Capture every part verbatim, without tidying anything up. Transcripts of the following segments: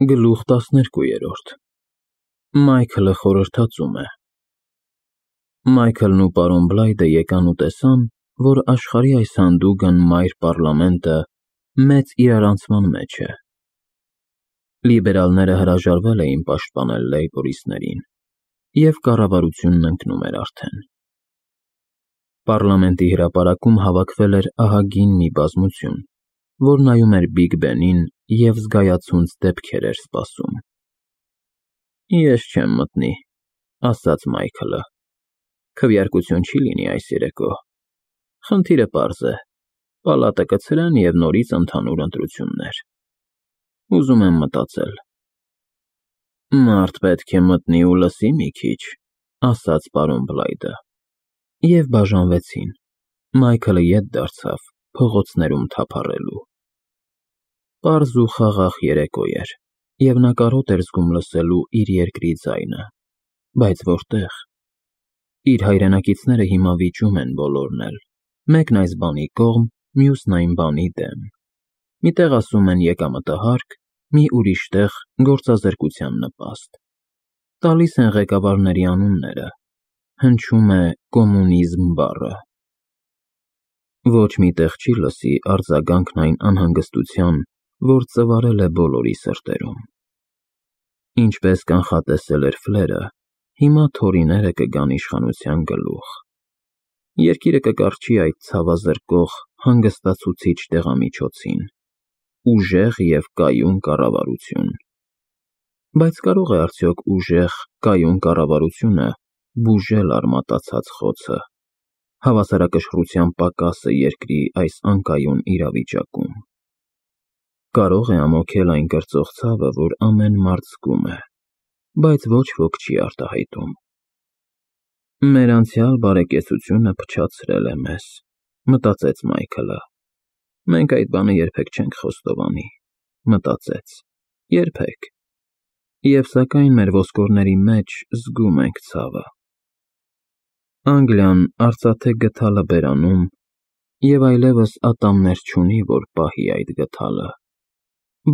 Գլուխ տասներկուերորդ Մայքլը խորհրդածում է Մայքլն ու պարոն Բլայդը եկան ու տեսան, որ աշխարհի այս հանդուգն մայր պառլամենտը մեծ իրարանցման մեջ է։ Լիբերալները հրաժարվել էին պաշտպանել լեյբորիստներին, և կառավարությունն ընկնում էր արդեն։ Պառլամենտի հրապարակում հավաքվել էր ահագին մի բազմություն, որ նայում էր Բիգ Բենին և զգայացունց դեպքեր էր սպասում։ Ես չեմ մտնի, ասաց Մայքլը, քվեարկություն չի լինի այս երեկո, խնդիրը պարզ է, պալատը կցրեն և նորից ընդհանուր ընտրություններ։ Ուզում եմ մտածել։ Մարդ պետք է մտնի ու լսի մի քիչ, ասաց պարոն Բլայդը, և բաժանվեցին, Մայքլը ետ դարձավ փողոցներում թափառելու։ Պարզ ու խաղաղ երեկո էր, և նա կարոտ էր զգում լսելու իր երկրի ձայնը, բայց որտե՞ղ։ Իր հայրենակիցները հիմա վիճում են բոլորն էլ, մեկն այս բանի կողմ, մյուսն այն բանի դեմ, մի տեղ ասում են եկամտահարկ, մի ուրիշ տեղ գործազրկության նպաստ, տալիս են ղեկավարների անունները, հնչում է կոմունիզմ բառը։ Ոչ մի տեղ չի լսի արձագանքն այն անհանգստության, որ ծվարել է բոլորի սրտերում։ Ինչպես կանխատեսել էր Ֆլերը, հիմա թորիները կգան իշխանության գլուխ։ Երկիրը կկառչի այդ ցավազրկող, հանգստացուցիչ դեղամիջոցին, ուժեղ և կայուն կառավարություն։ Բայց կարո՞ղ է արդյոք ուժեղ, կայուն կառավարությունը բուժել արմատացած խոցը, հավասարակշռության պակասը երկրի այս անկայուն իրավիճակում։ Կարո՞ղ է ամոթել այն կրծող ցավը, որ ամեն մարդ զգում է, բայց ոչ ոք չի արտահայտում։ Մեր անցյալ բարեկեցությունը փչացրել է մեզ, մտածեց Մայքլը։ Մենք այդ բանը երբեք չենք խոստովանի, մտածեց, երբեք։ Եվ սակայն մեր ոսկորների մեջ զգում ենք ցավը։ Անգլիան արծաթե գդալը բերանում, և այլևս ատամներ չունի, որ պահի այդ գդալը,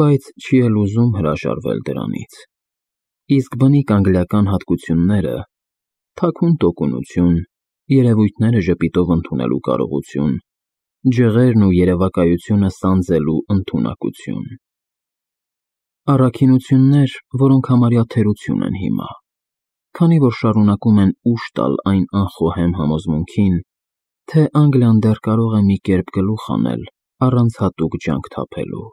բայց չի էլ ուզում հրաժարվել դրանից։ Իսկ բնիկ անգլիական հատկությունները՝ թաքուն տոկունություն, երևույթները ժպիտով ընդունելու կարողություն, ջղերն ու երևակայությունը սանձելու ընդունակություն։ Առաքինություններ, որոնք համարյա թերություն են հիմա, քանի որ շարունակում են ուժ տալ այն անխոհեմ համոզմունքին, թե Անգլիան դեռ կարող է մի կերպ գլուխ անել առանց հատուկ ջանք թափելու։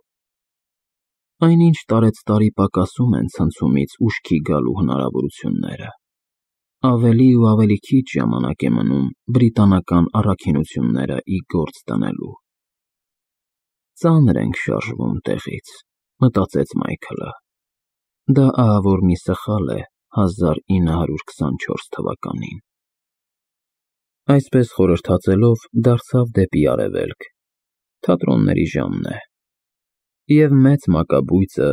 Այնինչ տարեցտարի պակասում են ցնցումից ուշքի գալու հնարավորությունները։ Ավելի ու ավելի քիչ ժամանակ է մնում բրիտանական առաքինությունները ի գործ դնելու։ Ծանր ենք շարժվում տեղից, մտածեց Մայքլը։ Դա ահավոր մի սխալ է հազար ինը հարյուր քսանչորս թվականին։ Այսպես խորհրդածելով դարձավ դեպի արևելք, թատրոնների ժամն է։ Եվ մեծ մակաբույծը,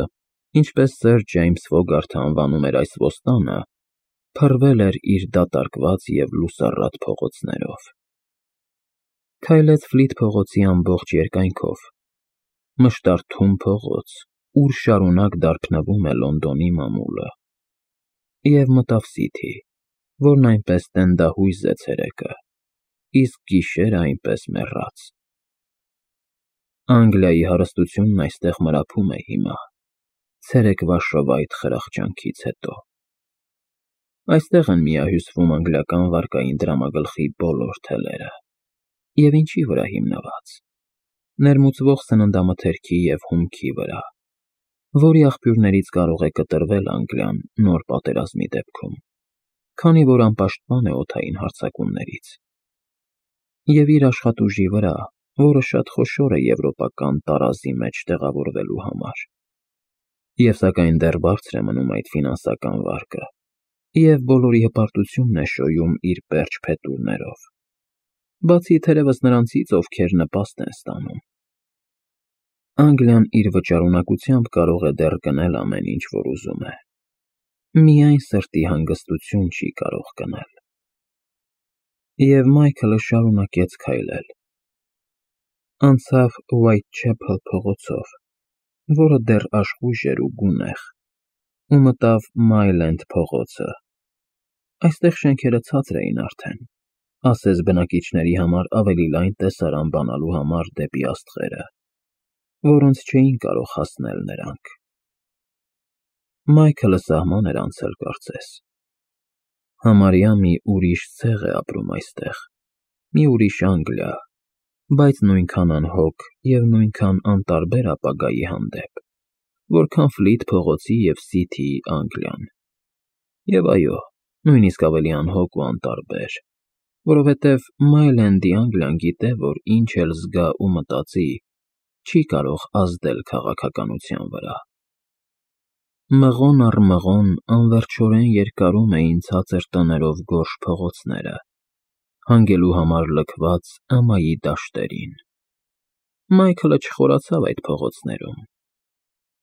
ինչպես սըր Ջեյմս Ֆոգարթը անվանում էր այս ոստանը, փռվել էր իր դատարկված և լուսառատ փողոցներով։ Քայլեց Ֆլիթ փողոցի ամբողջ երկայնքով, մշտար թուն փողոց, ուր շարունակ դարբնվում է Լոնդոնի մամուլը, և մտավ Սիթի, որն այնպես տենդահույզ է ցերեկը, իսկ գիշերը այնպես մեռած։ Անգլիայի հարստությունն այստեղ մրափում է հիմա, ցերեկվա շվայտ խրախճանքից հետո։ Այստեղ են միահյուսվում անգլիական վարկային դրամագլխի բոլոր թելերը։ Եվ ինչի վրա հիմնված։ Ներմուծվող սննդամթերքի և հումքի վրա, որի աղբյուրներից կարող է կտրվել Անգլիան նոր պատերազմի դեպքում, քանի որ անպաշտպան է օդային հարձակումներից։ Եվ իր աշխատուժի վրա, որը շատ խոշոր է եվրոպական տարազի մեջ տեղավորվելու համար։ Եվ սակայն դեռ բարձր է մնում այդ ֆինանսական վարկը, և բոլորի հպարտությունն է շոյում իր պերճ փետուրներով, բացի թերևս նրանցից, ովքեր նպաստ են ստանում։ Անգլիան իր վճարունակությամբ կարող է դեռ գնել ամեն ինչ, որ ուզում է, միայն սրտի հանգստություն չի կարող գնել։ Եվ Մայքլը շարունակեց քայլել։ Անցավ Ուայթչեփլ փողոցով, որը դեռ աշխույժ էր ու գունեղ, ու մտավ Մայլենդ փողոցը։ Այստեղ շենքերը ցածր էին արդեն, ասես բնակիչների համար ավելի լայն տեսարան բանալու համար դեպի աստղերը, որոնց չէին կարող հասնել նրանք։ Մայքլը սահման էր անցել, կարծես։ Համարյա մի ուրիշ ցեղ է ապրում այստեղ, մի ուրիշ Անգլիա, բայց նույնքան անհոգ և նույնքան անտարբեր ապագայի հանդեպ, որքան Ֆլիթ փողոցի և Սիթիի Անգլիան։ Եվ այո, նույնիսկ ավելի անհոգ ու անտարբեր, որովհետև Մայլենդի Անգլիան գիտե, որ ինչ էլ զգա ու մտածի, չի կարող ազդել քաղաքականության վրա։ Մղոն առ մղոն անվերջորեն երկարում էին ցածր տներով գորշ փողոցները, հանգելու համար լքված ամայի դաշտերին։ Մայքլը չխորացավ այդ փողոցներում։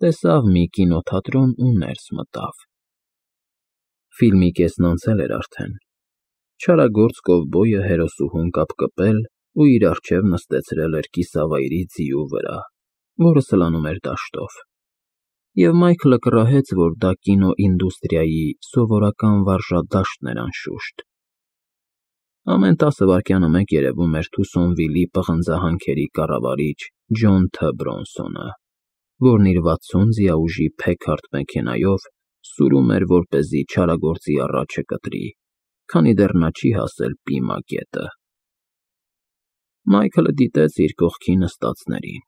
Տեսավ մի կինոթատրոն ու ներս մտավ։ Ֆիլմի կեսն անցել էր արդեն։ Չարագործ կովբոյը հերոսուհուն կապկպել ու իր առջև նստեցրել էր կիսավայրի ձիու վրա, որը սլանում էր դաշտով, և Մայքլը կռահեց, որ դա կինոինդուստրիայի սովորական վարժադաշտն էր անշուշտ։ Ամեն տասը վայրկյանը մեկ երևում էր Թուսոնվիլի պղնձահանքերի կառավարիչ Ջոն Թ. Բրոնսոնը, որն իր վաթսուն ձիաուժի Փեքարդ մեքենայով սուրում էր, որպեսզի չարագործի առաջը կտրի, քանի դեռ նա չի հասել Պիմա գետը։ Մայքլը դիտեց իր կողքի նստածներին։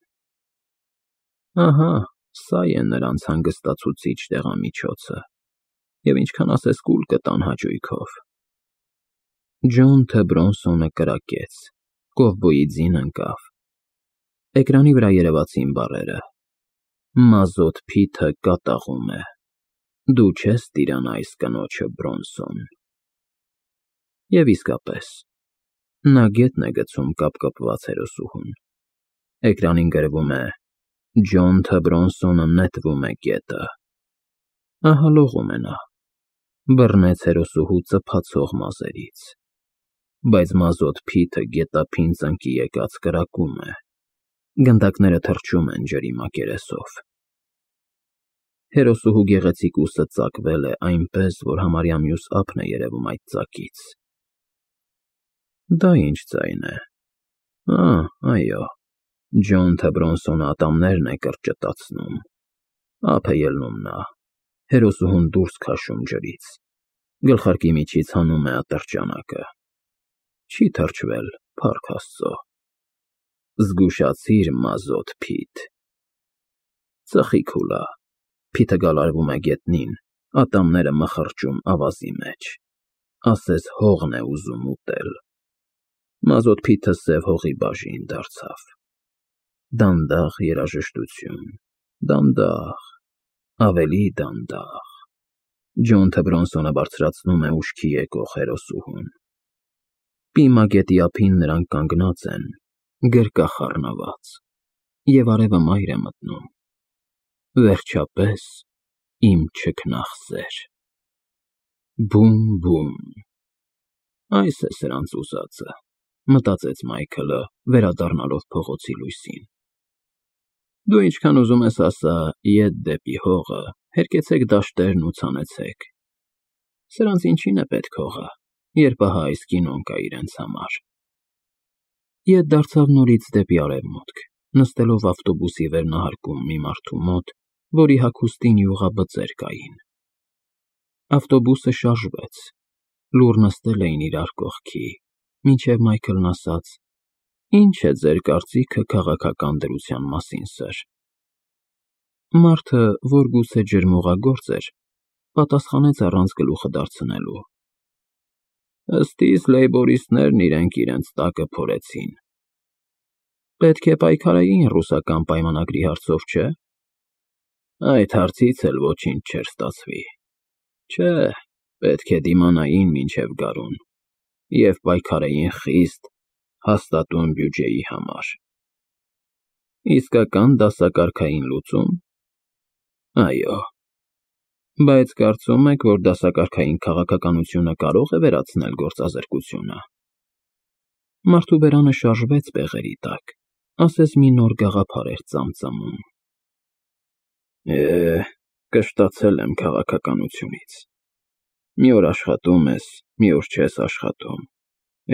Ահա, սա է նրանց հանգստացուցիչ դեղամիջոցը, և ինչքան ասես կուլ կտան հաճույքով։ Ջոն Թ. Բրոնսոնը կրակեց, կովբոյի ձին ընկավ։ Էկրանի վրա երևացին բառերը. «Մազոտ Փիթը կատաղում է։ Դու չես տիրանա այս կնոջը, Բրոնսոն»։ Եվ իսկապես, նա գետն է գցում կապկպված հերոսուհուն։ Էկրանին գրվում է. «Ջոն Թ. Բրոնսոնը նետվում է գետը»։ Ահա լողում է նա։ Բռնեց հերոսուհու ծփացող մազերից։ Բայց Մազոտ Փիթը գետափին ծնկի եկած կրակում է։ Գնդակները թռչում են ջրի մակերեսով։ Հերոսուհու գեղեցիկ ուսը ծակվել է այնպես, որ համարյա մյուս ափն է երևում այդ ծակից։ Դա ինչ ձայն է։ Ա, այո, Ջոն Թ. Բրոնսոնը ատամներն է կրճտացնում։ Ափ է ելնում նա, հերոսուհուն դուրս քաշում ջրից, գլխարկի միջից հանում է ատրճանակը։ Չի թրջվել, փառք Աստծո։ Զգուշացիր, Մազոտ Փիթ։ Ծխի քուլա։ Փիթը գալարվում է գետնին, ատամները մխրճում ավազի մեջ, ասես հողն է ուզում ուտել։ Մազոտ Փիթը սև հողի բաժին դարձավ։ Դանդաղ երաժշտություն, դանդաղ, ավելի դանդաղ։ Ջոն Թ. Բրոնսոնը բարձրացնում է ուշքի եկող հերոսուհուն։ Պիմա գետի ափին նրանք կանգնած են, գրկախառնված, և արևը մայր է մտնում։ Վերջապես, իմ չքնաղ սեր։ Բում֊բում։ Այս է սրանց ուզածը, մտածեց Մայքլը, վերադառնալով փողոցի լույսին։ Դու ինչքան ուզում ես ասա, ետ դեպի հողը, հերկեցեք դաշտերն ու ցանեցեք։ Սրանց ինչին է պետք հողը, երբ ահա այս կինոն կա իրենց համար։ Ետ դարձավ նորից դեպի արևմուտք, նստելով ավտոբուսի վերնահարկում մի մարդու մոտ, որի հագուստին յուղաբծեր կային։ Ավտոբուսը շարժվեց, լուռ նստել էին իրար կողքի, մինչև Մայքլն ասաց. Ինչ է ձեր կարծիքը քաղաքական դրության մասին, սըր։ Մարդը, որ գուցե ջրմուղագործ էր, պատասխանեց առանց գլուխը դարձնելու. Ըստ իս լեյբորիստներն իրենք իրենց տակը փորեցին։ Պետք է պայքարեին ռուսական պայմանագրի հարցով, չէ՞։ Այդ հարցից էլ ոչինչ չէր ստացվի։ Չէ, պետք է դիմանային մինչև գարուն և պայքարեին խիստ, հաստատուն բյուջեի համար։ Իսկական դասակարգային լուծում։ Այո։ Բայց կարծում եք, որ դասակարգային քաղաքականությունը կարող է վերացնել գործազրկությունը։ Մարդու բերանը շարժվեց բեղերի տակ, ասես մի նոր գաղափար էր ծամծամում։ Է, կշտացել եմ քաղաքականությունից։ Մի օր աշխատում ես, մի օր չես աշխատում,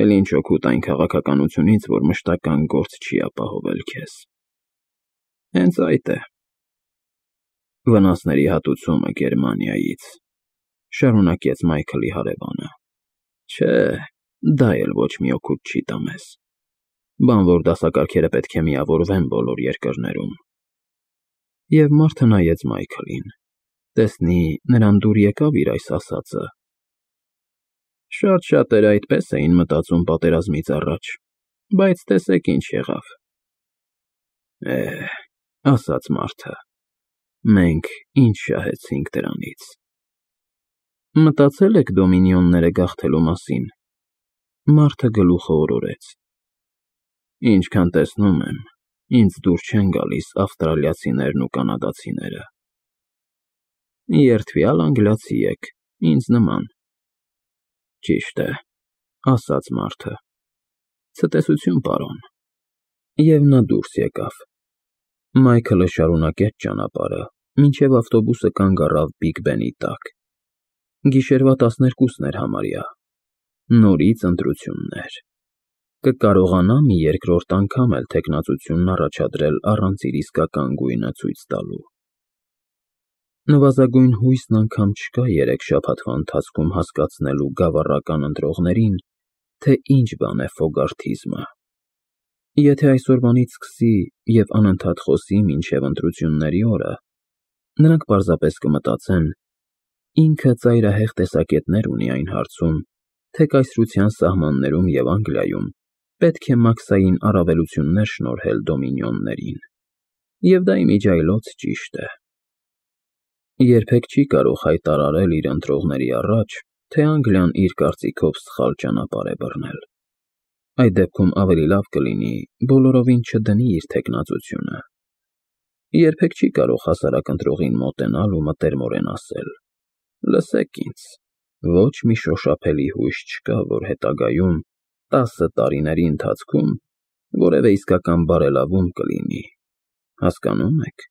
էլ ինչ օգուտ այն քաղաքականությունից, որ մշտական գործ չի ապահովել քեզ։ Հենց այդ է։ Վնասների հատուցումը Գերմանիայից, շարունակեց Մայքլի հարևանը։ Չէ, դա էլ ոչ մի օգուտ չի տա մեզ։ Բանվոր դասակարգերը պետք է միավորվեն բոլոր երկրներում։ Եվ մարդը նայեց Մայքլին, տեսնի նրան դուր եկավ իր այս ասածը։ Շատ շատերը այդպես էին մտածում պատերազմից առաջ, բայց տեսեք ինչ եղավ։ Է, ասաց մարդը, մենք ինչ շահեցինք դրանից։ Մտածել եք դոմինիոնները գաղթելու մասին։ Մարդը գլուխը օրորեց։ Ինչքան տեսնում եմ, ինձ դուր չեն գալիս ավստրալիացիներն ու կանադացիները։ Երդվյալ անգլիացի եք, ինձ նման։ Ճիշտ է, ասաց մարդը։ Ցտեսություն, պարոն։ Եվ նա դուրս եկավ։ Մայքլը շարունակեց ճանապարհը, մինչև ավտոբուսը կանգ առավ Բիգ Բենի տակ։ Գիշերվա տասներկուսն էր համարյա։ Նորից ընտրություններ։ Կկարողանա մի երկրորդ անգամ էլ թեկնածությունն առաջադրել առանց իր իսկական գույնը ցույց տալու։ Նվազագույն հույսն անգամ չկա երեք շաբաթվա ընթացքում հասկացնելու գավառական ընտրողներին, թե ինչ բան է ֆոգարթիզմը։ Եթե այսօրվանից սկսի և անընդհատ խոսի մինչև ընտրությունների օրը, նրանք պարզապես կմտածեն. ինքը ծայրահեղ տեսակետներ ունի այն հարցում, թե կայսրության սահմաններում և Անգլիայում պետք է մաքսային առավելություններ շնորհել դոմինիոններին, և դա իմիջիայլոց ճիշտ է։ Երբեք չի կարող հայտարարել իր ընտրողների առաջ, թե Անգլիան իր կարծիքով սխալ ճանապարհ է բռնել։ Այդ դեպքում ավելի լավ կլինի բոլորովին չդնի իր թեկնածությունը։ Երբեք չի կարող հասարակ ընտրողին մոտենալ ու մտերմորեն ասել. «Լսեք ինձ, ոչ մի շոշափելի հույս չկա, որ հետագայում, տասը տարիների ընթացքում որևէ իսկական բարելավում կլինի, հասկանո՞ւմ եք։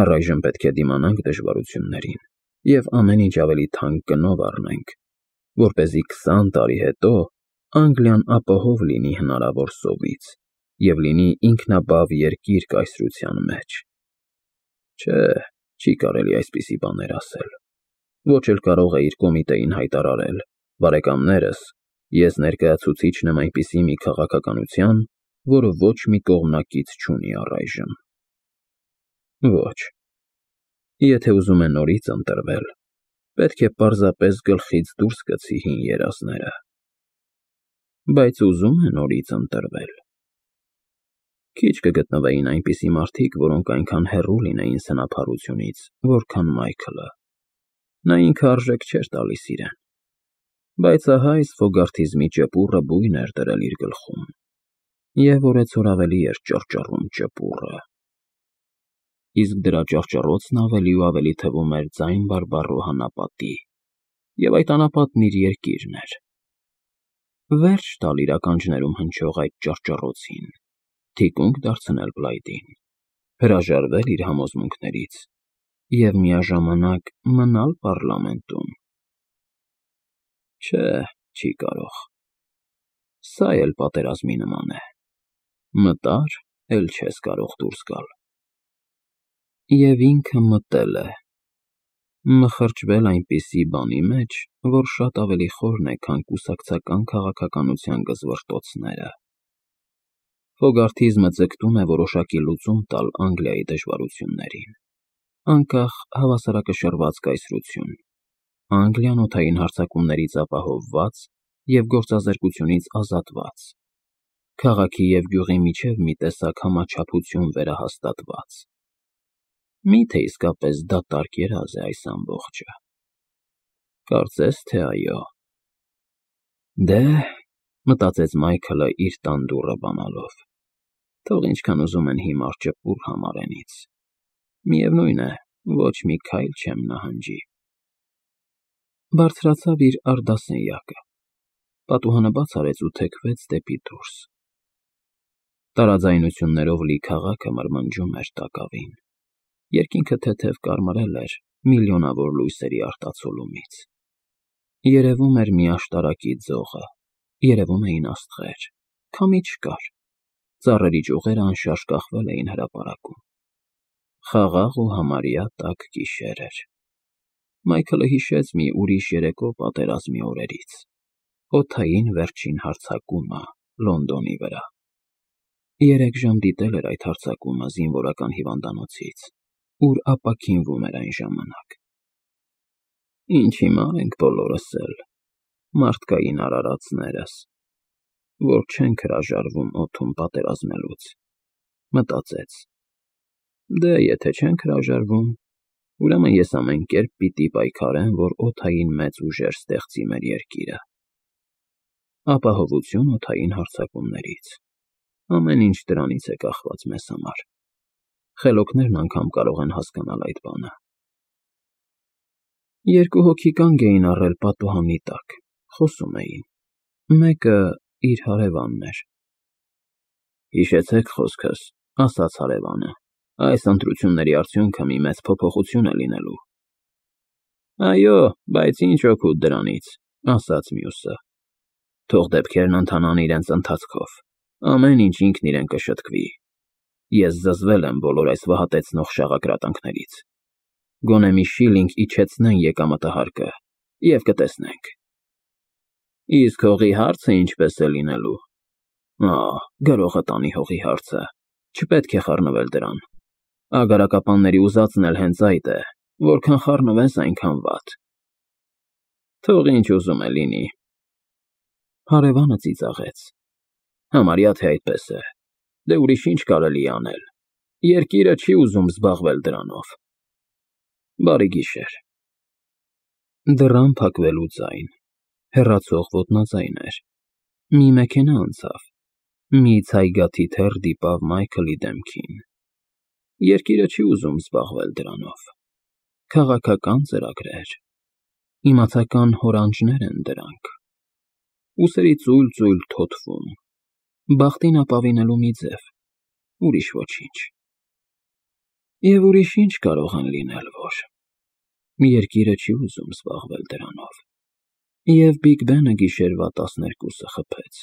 Առայժմ պետք է դիմանանք դժվարություններին և ամեն ինչ ավելի թանկ գնով առնենք, որպեսզի քսան տարի հետո Անգլիան ապահով լինի հնարավոր սովից և լինի ինքնաբավ երկիր կայսրության մեջ։ Չէ, չի կարելի այսպիսի բաներ ասել։ Ոչ էլ կարող է իր կոմիտեին հայտարարել. «Բարեկամներս, ես ներկայացուցիչն եմ այնպիսի մի քաղաքականության, որը ոչ մի կողմնակից չունի առայժմ»։ Ոչ։ Եթե ուզում է նորից ընտրվել, պետք է պարզապես գլխից դուրս գցի հին երազները։ Բայց ուզում է նորից ընտրվել։ Քիչ կգտնվեին այնպիսի մարդիկ, որոնք այնքան հեռու լինեին սնափառությունից, որքան Մայքլը։ Նա ինքը արժեք չէր տալիս իրեն։ Բայց ահա այս ֆոգարթիզմի ճպուռը բույն էր դրել իր գլխում, և օրեցօր ավելի էր ճռճռում ճպուռը։ Իսկ դրա ճռճռոցն ավելի ու ավելի թվում էր ձայն բարբառող անապատի, և այդ անապատն իր երկիրն էր։ Վերջ տալ իր ականջներում հնչող այդ ճռճռոցին, թիկունք դարձնել Բլայդին, հրաժարվել իր համոզմունքներից և միաժամանակ մնալ պառլամենտում։ Չէ, չի կարող։ Սա էլ պատերազմի նման է. մտար, էլ չես կարող դուրս գալ։ Եվ ինքը մտել է, մխրճվել այնպիսի բանի մեջ, որ շատ ավելի խորն է, քան կուսակցական քաղաքականության գզվռտոցները։ Ֆոգարթիզմը ձգտում է որոշակի լուծում տալ Անգլիայի դժվարություններին, անկախ հավասարակշռված կայսրություն, Անգլիան օդային հարձակումներից ապահովված և գործազրկությունից ազատված, քաղաքի և գյուղի միջև մի տեսակ համաչափություն վերահաստատված։ Մի՞թե իսկապես դատարկ երազ է այս ամբողջը։ Կարծես թե այո։ Դե, մտածեց Մայքլը իր տան դուռը բանալով, թող ինչքան ուզում են հիմար ճպուռ համարեն ինձ, միևնույն է, ոչ մի քայլ չեմ նահանջի։ Բարձրացավ իր առդասենյակը, պատուհանը բաց արեց ու թեքվեց դեպի դուրս։ Տարաձայնություններով լի քաղաքը մրմնջում էր տակավին։ Երկինքը թեթև կարմրել էր միլիոնավոր լույսերի արտացոլումից։ Երևում էր մի աշտարակի ձողը, երևում էին աստղեր, քամի չկար, ծառերի ճյուղերը անշարժ կախվել էին հրապարակում։ Խաղաղ ու համարյա տաք գիշեր էր։ Մայքլը հիշեց մի ուրիշ երեկո պատերազմի օրերից, օդային վերջին հարձակումը Լոնդոնի վրա։ Երեք ժամ դիտել էր այդ հարձակումը զինվորական հիվանդանոցից, ուր ապաքինվում էր այն ժամանակ։ Ինչ հիմար ենք բոլորս էլ, մարդկային արարածներս, որ չենք հրաժարվում օդում պատերազմելուց, մտածեց։ Դե, եթե չենք հրաժարվում, ուրեմն ես ամեն կերպ պիտի պայքարեմ, որ օդային մեծ ուժեր ստեղծի մեր երկիրը։ Ապահովություն օդային հարձակումներից, ամեն ինչ դրանից է կախված մեզ համար։ Խելոքներն անգամ կարող են հասկանալ այդ բանը։ Երկու հոգի կանգ էին առել պատուհանի տակ, խոսում էին, մեկը իր հարևանն էր։ Հիշեցեք խոսքս, ասաց հարևանը, այս ընտրությունների արդյունքը մի մեծ փոփոխություն է լինելու։ Այո, բայց ինչ օգուտ դրանից, ասաց մյուսը։ Թող դեպքերն ընթանան իրենց ընթացքով, ամեն ինչ ինքն իրեն կշտկվի։ Ես զզվել եմ բոլոր այս վհատեցնող շաղակրատանքներից։ Գոնե մի շիլինգ իջեցնեն եկամտահարկը, և կտեսնենք։ Իսկ հողի հարցը ինչպես է լինելու։ Ահ, գրողը տանի հողի հարցը, չպետք է խառնվել դրան։ Ագարակապանների ուզածն էլ հենց այդ է, որքան խառնվես, այնքան վատ։ Թող ինչ ուզում է լինի։ Հարևանը ծիծաղեց։ Համարյա թե այդպես է։ Դե ուրիշ ինչ կարելի է անել։ Երկիրը չի ուզում զբաղվել դրանով։ Բարի գիշեր։ Դռան փակվելու ձայն, հեռացող ոտնաձայն էր։ Մի մեքենա անցավ։ Մի ցայգաթիթեռ դիպավ Մայքլի դեմքին։ Երկիրը չի ուզում զբաղվել դրանով։ Քաղաքական ծրագրեր, իմացական հորանջներ են դրանք։ Ուսերի ծույլ-ծույլ թոթվում, բախտին ապավինելու մի ձև, ուրիշ ոչինչ։ Եվ ուրիշ ինչ կարող են լինել, որ երկիրը չի ուզում զբաղվել դրանով։ Եվ Բիգ Բենը գիշերվա տասներկուսը խփեց։